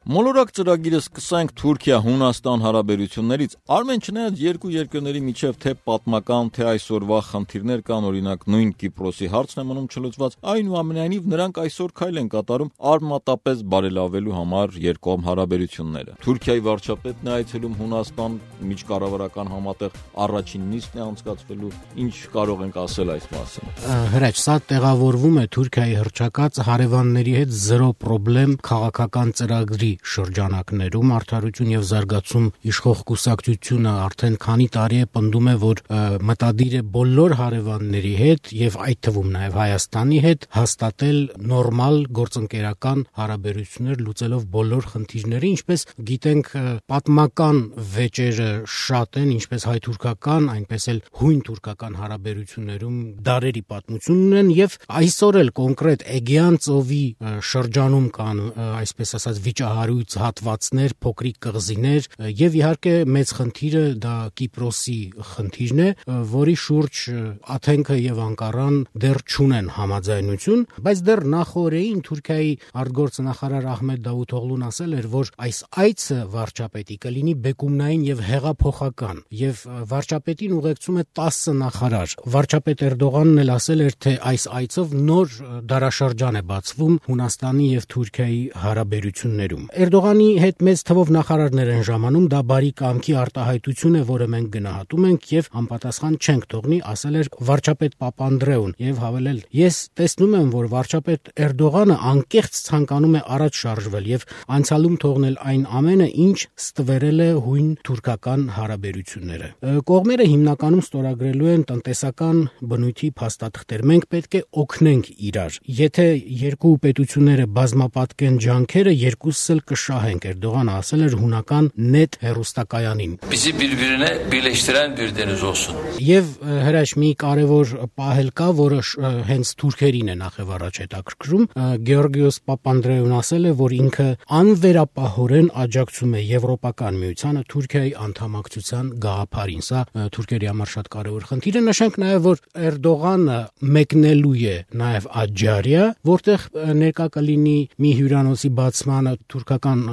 Մոլորակ ծրագիրը սկսենք Թուրքիա-Հունաստան հարաբերություններից։ Արմեն, չնայած երկու երկրների միջև թե պատմական, թե այսօրվա խնդիրներ կան, օրինակ նույն Կիպրոսի հարցն է մնում չլուծված, այնուամենայնիվ նրանք այսօր քայլ են կատարում արմատապես բարելավելու համար երկկողմ հարաբերությունները։ Թուրքիայի վարչապետն է այցելում Հունաստան, միջկառավարական համատեղ առաջին նիստն է անցկացվելու։ Ինչ կարող ենք ասել այս մասին։ Հրաչ, սա տեղավորվում է Թուրքիայի հռչակած հարևանների հետ զրո պրոբլեմ քաղաքական ծրագրի շրջանակներում արդարություն եւ զարգացում իշխող կուսակցությունը արդեն քանի տարի է պնդում է, որ մտադիր է բոլոր հարևանների հետ եւ այդ թվում նաեւ Հայաստանի հետ հաստատել նորմալ գործընկերական հարաբերություններ լուծելով բոլոր խնդիրները, ինչպես գիտենք պատմական վեճերը շատ են, ինչպես հայ-թուրքական, այնպես էլ հույն-թուրքական հարաբերություններում դարերի պատմություն ունեն եւ այսօր էլ կոնկրետ Էգեան ծովի շրջանում կան այսպես ասած վիճահարույց հատվածներ, փոքրիկ կղզիներ եւ իհարկե մեծ խնդիրը դա Կիպրոսի խնդիրն է, որի շուրջ Աթենքը եւ Անկարան դեռ չունեն համաձայնություն, բայց դեռ նախօրեին Թուրքիայի արտգործնախարար Ահմեդ Դավութօղլուն ասել էր, որ այս այցը վարչապետի կլինի բեկումնային եւ հեղափոխական եւ վարչապետին ուղեկցում է 10 նախարար։ Վարչապետ Էրդողանն էլ ասել էր, թե այս այցով նոր դարաշրջան է բացվում Հունաստանի եւ Թուրքիայի հարաբերություններում։ Էրդողանի հետ մեծ թվով նախարարներ են ժամանում, դա բարի կամքի արտահայտություն է, որը մենք գնահատում ենք եւ անպատասխան չենք թողնի, ասել էր վարչապետ Պապանդրեուն եւ հավելել. Ես տեսնում եմ, որ վարչապետ Էրդողանը անկեղծ ցանկանում է առաջ շարժվել եւ անցյալում թողնել այն ամենը, ինչ ստվերել է հույն-թուրքական հարաբերությունները։ Կողմերը հիմնականում ստորագրելու են տնտեսական բնույթի փաստաթղթեր։ Մենք պետք է օգնենք իրար։ Եթե երկու պետությունները բազմապատկեն ջանքերը, երկուսս էլ կշահենք, Էրդողանը ասել էր հունական նետ հեռուստակայանին։ Bizi birbirine birleştiren bir deniz olsun։ Եվ հրաշ մի կարևոր պահել կա, որը հենց թուրքերին է նախևառաջ հետաքրքրում։ Գեորգիոս Պապանդրեուն ասել է, որ ինքը անվերապահորեն աջակցում է Եվրոպական միությանը Թուրքիայի անդամակցության գաղափարին։ Սա թուրքերի համար շատ կարևոր խնդիր է։ Նշենք նաև, որ Էրդողանը մեկնելու է նաև Աջարիա, որտեղ ներկա կլինի մի հյուրանոցի բացմանը թուրքական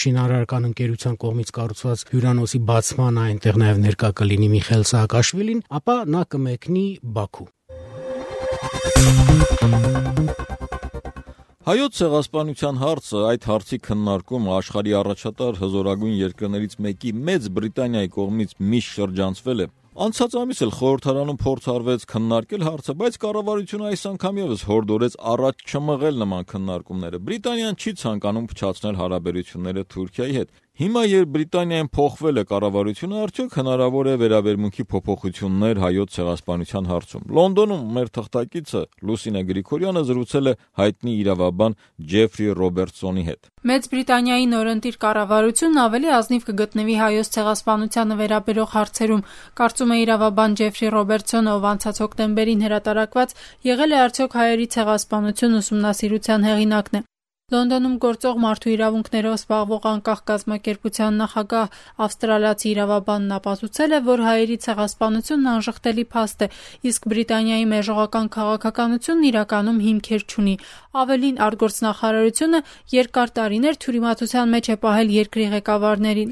շինարարական ընկերության կողմից կառուցված հյուրանոցի բացմանը, այնտեղ նաև ներկա կլինի Միխայիլ Սահակաշվիլին, ապա նա կմեկնի Բաքու։ Հայոց ցեղասպանության հարցը, այդ հարցի քննարկումը աշխարհի առաջատար հզորագույն երկրներից մեկի Մեծ Բրիտանիայի կողմից միշտ շրջանցվել է։ Անցած ամիս էլ խորհրդարանում փորձ արվեց քննարկել հարցը, բայց կառավարությունը այս անգամ եւս հորդորեց առաջ չմղել նման քննարկումները։ Բրիտանիան չի ցանկանում փչացնել հարաբերությունները Թուրքիայի հետ։ Հիմա երբ Բրիտանիայում փոխվել է կառավարությունը, արդյոք հնարավոր է վերաբերմունքի փոփոխություններ հայոց ցեղասպանության հարցում։ Լոնդոնում մեր թղթակիցը Լուսինե Գրիգորյանը զրուցել է հայտնի իրավաբան Ջեֆրի Ռոբերտսոնի հետ։ Մեծ Բրիտանիայի նորընտիր կառավարությունն ավելի ազնիվ կգտնվի հայոց ցեղասպանությանը վերաբերող հարցերում, կարծում է իրավաբան Ջեֆրի Ռոբերտսոնը, ով անցած հոկտեմբերին հրատարակված եղել է արդյոք հայերի ցեղասպանություն ուսումնասիրության հեղինակն է։ Լոնդոնում գործող մարդու իրավունքներով զբաղվող անկախ կազմակերպության նախագահ ավստրալիացի իրավաբանն ապացուցել է, որ հայերի ցեղասպանությունն անժխտելի փաստ է, իսկ Բրիտանիայի մեժողական քաղաքականությունն իրականում հիմքեր չունի։ Ավելին, արտգործնախարարությունը երկար տարիներ թյուրիմացության մեջ է պահել երկրի ղեկավարներին։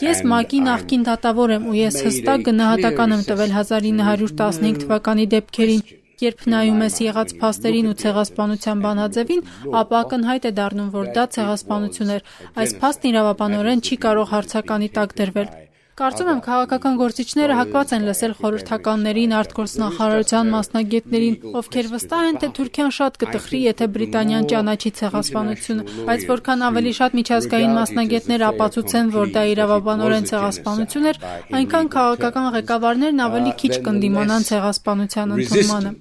Ես ՄԱԿ-ի նախկին դատավոր եմ ու ես հստակ գնահատական եմ տվել 1915 թվականի դեպքերին։ Երբ նայում ես եղած փաստերին ու ցեղասպանության բանաձևին, ապա ակնհայտ է դառնում, որ դա ցեղասպանություն էր։ Այս փաստն իրավաբանորեն չի կարող հարցականի տակ դրվել։ Կարծում եմ, քաղաքական գործիչները հակված են լսել խորհրդականներին, արտգործնախարարության մասնագետներին, ովքեր վստահ են, թե Թուրքիան շատ կտխրի, եթե Բրիտանիան ճանաչի ցեղասպանությունը, բայց որքան ավելի շատ միջազգային մասնագետներ ապացուցեն, որ դա իրավաբանորեն ցեղասպանություն էր, այնքան քաղաքական ղեկավարներն ավելի քիչ կընդդիմանան ցեղասպանության ընդունմանը։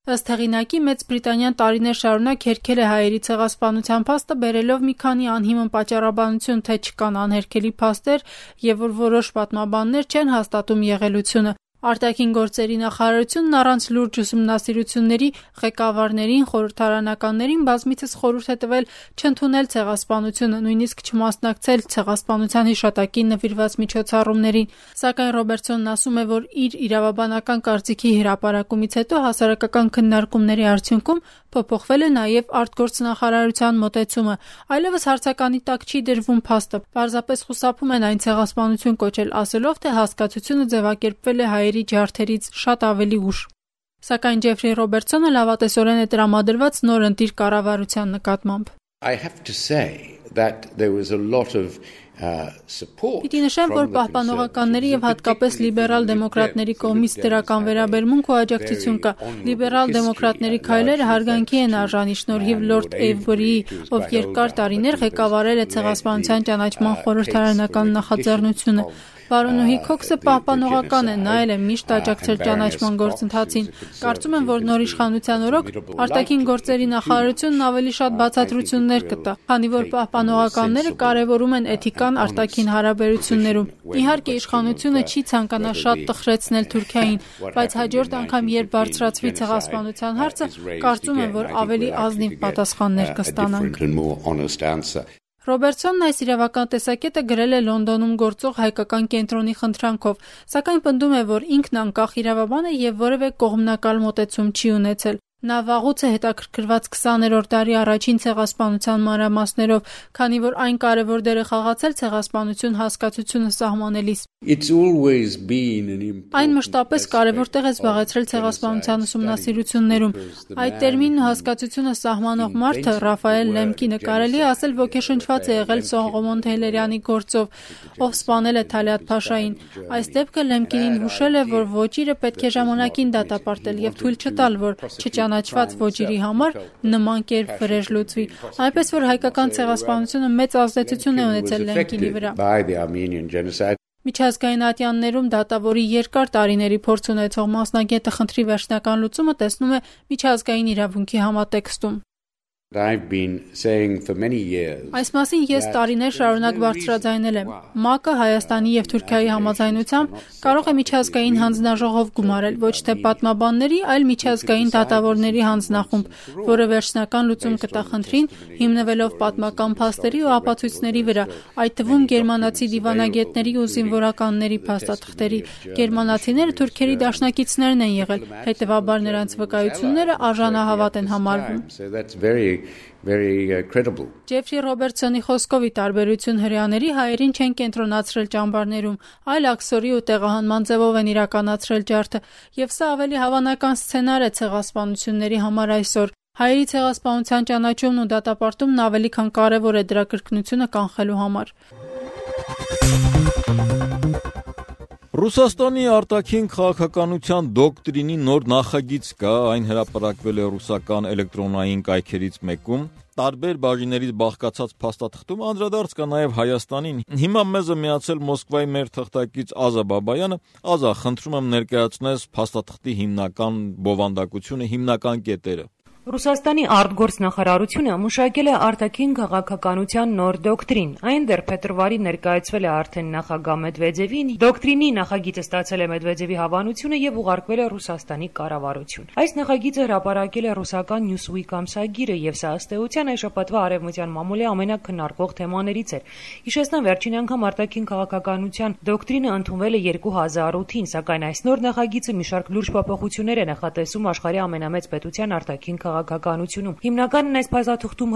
Ըստ հեղինակի, Մեծ Բրիտանիան տարիներ շարունակ հերքել է հայերի ցեղասպանության փաստը, բերելով մի քանի անհիմն պատճառաբանություն, թե չկան անհերքելի փաստեր եւ որ որոշ պատմաբաններ չեն հաստատում եղելությունը։ Արտաքին գործերի նախարարությունն առանց լուրջ ուսումնասիրությունների ղեկավարներին, խորհրդարանականներին բազմիցս խորհուրդ է տվել չընդունել ցեղասպանությունը, նույնիսկ չմասնակցել ցեղասպանության հիշատակին նվիրված միջոցառումներին, սակայն Ռոբերտսոնն ասում է, որ իր իրավաբանական կարծիքի հրապարակումից հետո հասարակական քննարկումների արդյունքում փոփոխվել է նաև արտգործնախարարության մոտեցումը, այլևս հարցականի տակ չի դրվում փաստը, պարզապես խուսափում են այն ցեղասպանություն կոչել, ասելով, թե հասկացությունը ձևակերպվել է հայերի ջարդերից շատ ավելի ուշ։ Սակայն Ջեֆրի Ռոբերտսոնը լավատեսորեն է տրամադրված նորընտիր կառավարության նկատմամբ։ I have to say that there was a lot of Պիտի նշեմ, որ պահպանողականների եւ հատկապես լիբերալ դեմոկրատների կողմից դրական վերաբերմունք ու աջակցություն կա։ Լիբերալ դեմոկրատների քայլերը հարգանքի են արժանի շնորհիվ Լորդ Էյվորիի, ով երկար տարիներ ղեկավարել է ցեղասպանության ճանաչման խորհրդարանական նախաձեռնությունը։ Պարոնուհի Քոքսը պահպանողական է, նա էլ է միշտ աջակցել ճանաչման գործընթացին։ Կարծում եմ, որ նոր իշխանության օրոք արտաքին գործերի նախարարությունն ավելի շատ բացատրություններ կտա, քանի որ պահպանողականները կարևորում են էթիկան արտաքին հարաբերություններում։ Իհարկե, իշխանությունը չի ցանկանա շատ տխրեցնել Թուրքիային, բայց հաջորդ անգամ, երբ բարձրացվի ցեղասպանության հարցը, կարծում եմ, որ ավելի ազնիվ պատասխաններ կստանանք։ Ռոբերտսոնն այս իրավական տեսակետը գրել է Լոնդոնում գործող հայկական կենտրոնի խնդրանքով, սակայն պնդում է, որ ինքն անկախ իրավաբան է եւ որևէ կողմնակալ մոտեցում չի ունեցել։ Նա վաղուց է հետաքրքրված 20-րդ դարի առաջին ցեղասպանության մանրամասներով, քանի որ այն կարևոր դեր է խաղացել ցեղասպանություն հասկացությունը սահմանելիս։ Այն մշտապես կարևոր տեղ է զբաղեցրել ցեղասպանության ուսումնասիրություններում։ Այդ տերմինն ու հասկացությունը սահմանող մարդը Ռաֆայել Լեմկինը կարելի է ասել ոգեշնչված է եղել Սողոմոն Թեյլերյանի գործով, ով սպանել է Թալիաթ Փաշային։ Այս դեպքը Լեմկինին հուշել է, որ ոճիրը պետք է ժամանակին դատապարտել եւ թույլ չտալ, որ չճանաչված ոճիրի համար նման կերպ վրեժ լուծվի։ Այնպես որ հայկական ցեղասպանությունը մեծ ազդեցություն է ունեցել Լեմկինի վրա։ Միջազգային ատյաններում դատավորի երկար տարիների փորձ ունեցող մասնագետը խնդրի վերջնական լուծումը տեսնում է միջազգային իրավունքի համատեքստում։ Այս մասին ես տարիներ շարունակ բարձրաձայնել եմ։ ՄԱԿ-ը Հայաստանի եւ Թուրքիայի համաձայնությամբ կարող է միջազգային հանձնաժողով գումարել ոչ թե պատմաբանների, այլ միջազգային դատավորների հանձնախումբ, որը վերջնական լուծում կտա խնդրին, հիմնվելով պատմական փաստերի ու ապացույցների վրա, այդ թվում գերմանացի դիվանագետների ու զինվորականների փաստաթղթերի։ Գերմանացիները թուրքերի դաշնակիցներն են եղել, հետևաբար նրանց վկայությունները արժանահավատ են համարվում։ Very credible. Ջեֆրի Ռոբերտսոնի խոսքով ի տարբերություն հրեաների հայերին չեն կենտրոնացրել ճամբարներում, այլ աքսորի ու տեղահանման ձևով են իրականացրել ջարդը, եւ սա ավելի հավանական սցենար է ցեղասպանությունների համար այսօր։ Հայերի ցեղասպանության ճանաչումն ու դատապարտումն ավելի քան կարևոր է դրա կրկնությունը կանխելու համար։ Ռուսաստանի արտաքին քաղաքականության դոկտրինի նոր նախագիծ կա, այն հրապարակվել է ռուսական էլեկտրոնային կայքերից մեկում։ Տարբեր բաժիններից բաղկացած փաստաթղթում անդրադարձ կա նաև Հայաստանին։ Հիմա մեզ է միացել Մոսկվայի մեր թղթակից Ազա Բաբայանը։ Ազա, խնդրում եմ ներկայացնես փաստաթղթի հիմնական բովանդակությունը, հիմնական կետերը։ Ռուսաստանի արտգործնախարարությունը մշակել է արտաքին քաղաքականության նոր դոկտրին։ Այն դեռ փետրվարի ներկայացվել է արդեն նախագահ Մեդվեդևին։ Դոկտրինի նախագիծը ստացել է Մեդվեդևի հավանությունը եւ ուղարկվել է Ռուսաստանի կառավարություն։ Այս նախագիծը հրապարակել է ռուսական Newsweek ամսագիրը եւ սա ըստ էության այս շաբաթվա արևմտյան մամուլի ամենակննարկվող թեմաներից էր։ Հիշեցնեմ, վերջին անգամ արտաքին քաղաքականության դոկտրինը ընդունվել է 2008-ին, սակայն այս նոր նախագիծը մի շարք լուրջ փոփոխություններ է նախատեսում աշխարհի ամենամեծ պետության արտաքին քաղաքականությունում։ Հիմնականն այս փաստաթղթում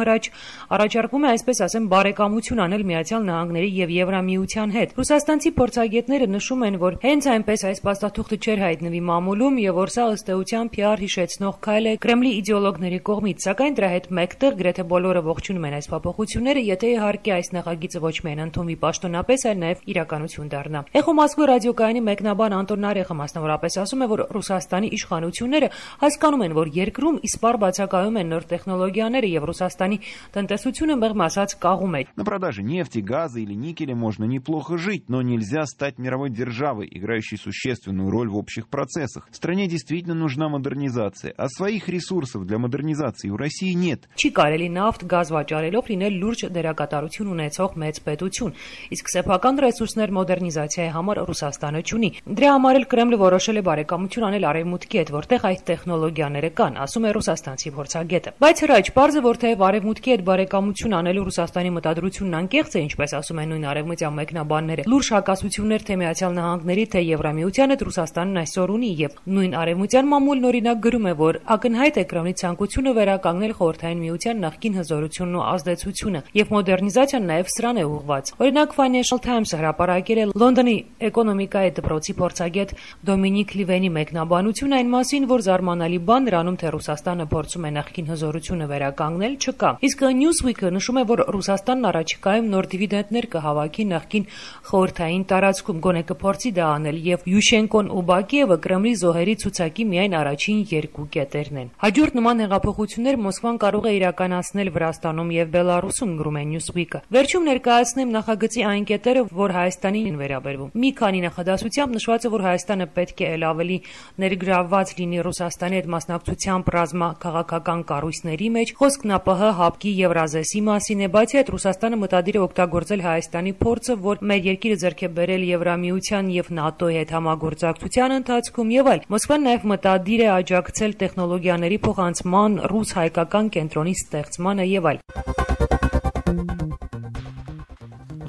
առաջարկում է, այսպես ասեմ, բարեկամություն անել Միացյալ Նահանգների եւ Եվրամիության հետ։ Ռուսաստանցի փորձագետները նշում են, որ հենց այնպես այս փաստաթղթը չէր հայտնվի մամուլում եւ որ սա ըստ էության PR հիշեցնող քայլ է Կրեմլի իդեոլոգների կողմից, սակայն դրա հետ մեկտեղ գրեթե բոլորը ողջունում են այս փոփոխությունները, եթե իհարկե այս նախագիծը ոչ միայն ընդունվի պաշտոնապես, այլ նաեւ իրականություն դառնա։ Էխո Մոսկվա ռադիոկայանի մեկնաբան Անտոն Նարեխը մասնավորապես ասում է, որ Ռուսաստանի իշխանությունները հասկանում են, որ երկրում իսպառ բացակայում են նոր տեխնոլոգիաները եւ Ռուսաստանի տնտեսությունը մեղմ ասած կաղում է։ На продаже нефти, газа или никеля можно неплохо жить, но нельзя стать мировой державой, играющей существенную роль в общих процессах. Стране действительно нужна модернизация, а своих ресурсов для модернизации у России нет. Չի կարելի նավթ, գազ վաճառելով լինել լուրջ դերակատարություն ունեցող մեծ պետություն, իսկ սեփական ռեսուրսներ մոդեռնիզացիայի համար Ռուսաստանը չունի։ Դրա համար էլ Կրեմլը որոշել է բարեկամություն անել Արևմուտքի հետ, որտեղ այդ տեխնոլոգիաները կան, ասում է ռուսաստանցի փորձագետը։ Բայց հրաչ պարզը, որ թեև Արևմուտքի հետ բարեկամություն անելու Ռուսաստանի մտադրությունն անկեղծ է, ինչպես ասում են նույն արևմտյան մեկնաբանները, լուրջ հակասություններ թե Միացյալ Նահանգների, թե Եվրամիության հետ Ռուսաստանն այսօր ունի եւ նույն արևմտյան մամուլն օրինակ գրում է, որ ակնհայտ է Կրեմլի ցանկությունը վերականգնել Խորհրդային Միության նախկին հզորությունն ու ազդեցությունը եւ մոդեռնիզացիան նաեւ սրան է ուղղված։ Օրինակ Financial Times-ը հրապարակել է Լոնդոնի էկոնոմիկայի դպրոցի փորձագետ Դոմինիկ Լիվենի մեկնաբանությունը այն մասին, որ զարմանալի բան նրանում թե Ռուսաստանը փորձում է նախկին հզորությունը վերականգնել չկա։ Իսկ Newsweek-ը նշում է, որ Ռուսաստանն առաջիկայում նոր դիվիդենդներ կհավաքի նախկին խորհրդային տարածքում, գոնե կփորձի դա անել եւ Յուշենկոն ու Բակիևը Կրեմլի զոհերի ցուցակի միայն առաջին երկու կետերն են։ Հաջորդ նման հեղափոխություններ Մոսկվան կարող է իրականացնել Վրաստանում եւ Բելարուսում, գրում է Newsweek-ը։ Վերջում ներկայացնեմ նախագծի այն կետերը, որ Հայաստանին վերաբերվում։ Մի քանի նախադասությամբ նշված է, որ Հայաստանը պետք է ավելի ներգրավված լինի Ռուսաստանի հետ մասնակցությամբ ռազմա քաղաքական կառույցների մեջ։ Խոսքն ԱՊՀ, ՀԱՊԿ-ի, Եվրազեսի մասին է, բացի այդ Ռուսաստանը մտադիր է օգտագործել Հայաստանի փորձը, որ մեր երկիրը ձեռք է բերել Եվրամիության եւ ՆԱՏՕ-ի հետ համագործակցության ընթացքում եւ այլ։ Մոսկվան նաեւ մտադիր է աջակցել տեխնոլոգիաների փոխանցման, ռուս-հայկական կենտրոնի ստեղծմանը եւ այլ։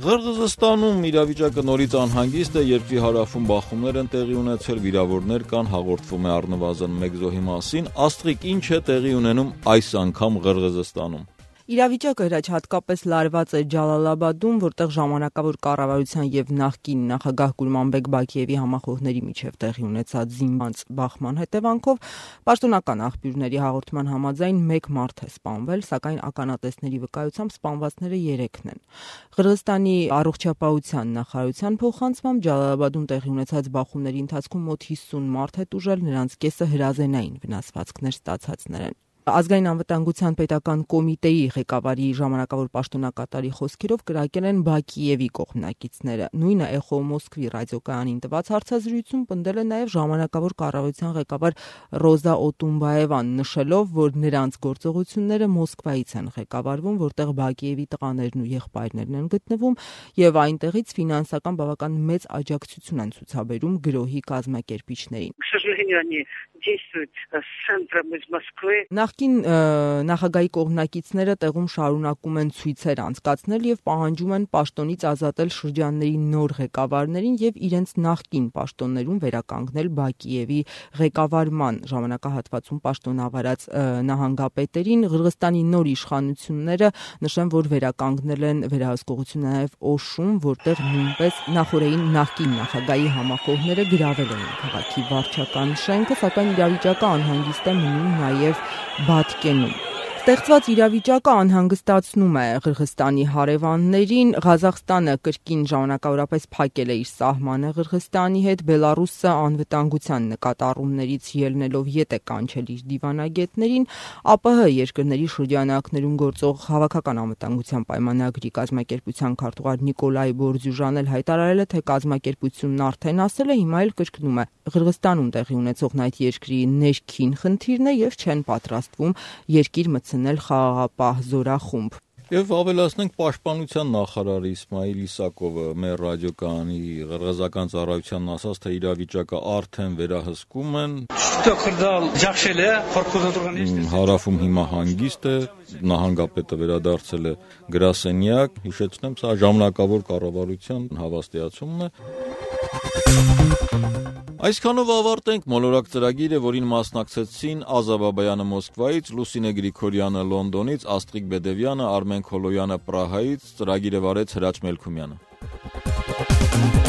Ղրղըզստանում իրավիճակը նորից անհանգիստ է, երկրի հարավում բախումներ են տեղի ունեցել, վիրավորներ կան, հաղորդվում է առնվազն 1 զոհի մասին։ Աստղիկ, ինչ է տեղի ունենում այս անգամ Ղրղըզստանում։ Իրավիճակը հրաչ հատկապես լարված է Ջալալաբադում, որտեղ ժամանակավոր կառավարության եւ նախկին նախագահ Գուլմանբեկ Բակիևի համախոհների միջև տեղի ունեցած զինված բախման հետևանքով պաշտոնական աղբյուրների հաղորդման համաձայն 1 մարդ է սպանվել, սակայն ականատեսների վկայությամբ սպանվածները 3-ն են։ Ղրղըզստանի առողջապահության նախարարության փոխանցմամբ Ջալալաբադում տեղի ունեցած բախումների ընթացքում մոտ 50 մարդ է տուժել, նրանց կեսը հրազենային վնասվածքներ ստացածներ են։ Ազգային անվտանգության պետական կոմիտեի ղեկավարի ժամանակավոր պաշտոնակատարի խոսքերով կրակել են Բակիևի կողմնակիցները։ Նույնը Էխո Մոսկվի ռադիոկայանին տված հարցազրույցում պնդել է նաև ժամանակավոր կառավարության ղեկավար Ռոզա Օտումբաևան, նշելով, որ նրանց գործողությունները Մոսկվայից են ղեկավարվում, որտեղ Բակիևի տղաներն ու եղբայրներն են գտնվում եւ այնտեղից ֆինանսական բավական մեծ աջակցություն են ցուցաբերում գրոհի կազմակերպիչներին։ Նախկին նախագահի կողմնակիցները տեղում շարունակում են ցույցեր անցկացնել եւ պահանջում են պաշտոնից ազատել շրջանների նոր ղեկավարներին եւ իրենց նախկին պաշտոններում վերականգնել Բակիևի ղեկավարման ժամանակահատվածում պաշտոնավարած նահանգապետերին։ Ղրղըզստանի նոր իշխանությունները նշեն, որ վերականգնել են վերահսկողությունը նաեւ Օշում, որտեղ նույնպես նախորդային նախկին նախագահի համախոհները գրավել են քաղաքի վարչական շենքը, սակայն իրավիճակը անհանգիստ է մնում նաև Բաթկենում։ Ստեղծված իրավիճակը անհանգստացնում է Ղրղըզստանի հարևաններին։ Ղազախստանը կրկին ժամանակավորապես փակել է իր սահմանը Ղրղըզստանի հետ, Բելարուսը անվտանգության նկատառումներից ելնելով ետ է կանչել իր դիվանագետներին, ԱՊՀ երկրների շրջանակներում գործող հավաքական անվտանգության պայմանագրի կազմակերպության քարտուղար Նիկոլայ Բորձյուժան էլ հայտարարել է, թե կազմակերպությունն արդեն ասել է, հիմա էլ կրկնում է Ղրղըզստանում տեղի ունեցողն այդ երկրի ներքին խնդիրն է եւ չեն պատրաստվում երկիր մտցնել խաղաղապահ զորախումբ։ Եվ ավելացնենք պաշտպանության նախարար Իսմայիլ Իսակովը մեր ռադիոկայանի ղրղըզական ծառայությանն ասաց, թե իրավիճակը արդեն վերահսկում են։ Հարավում հիմա հանգիստ է, նահանգապետը վերադարձել է գրասենյակ, հիշեցնեմ, սա ժամանակավոր կառավարության հավաստիացումն է։ Այսքանով ավարտենք մոլորակ ծրագիրը, որին մասնակցեցին Ազա Բաբայանը Մոսկվայից, Լուսինե Գրիգորյանը Լոնդոնից, Աստղիկ Բեդևյանը, Արմեն Քոլոյանը Պրահայից, ծրագիրը վարեց Հրաչ Մելքումյանը։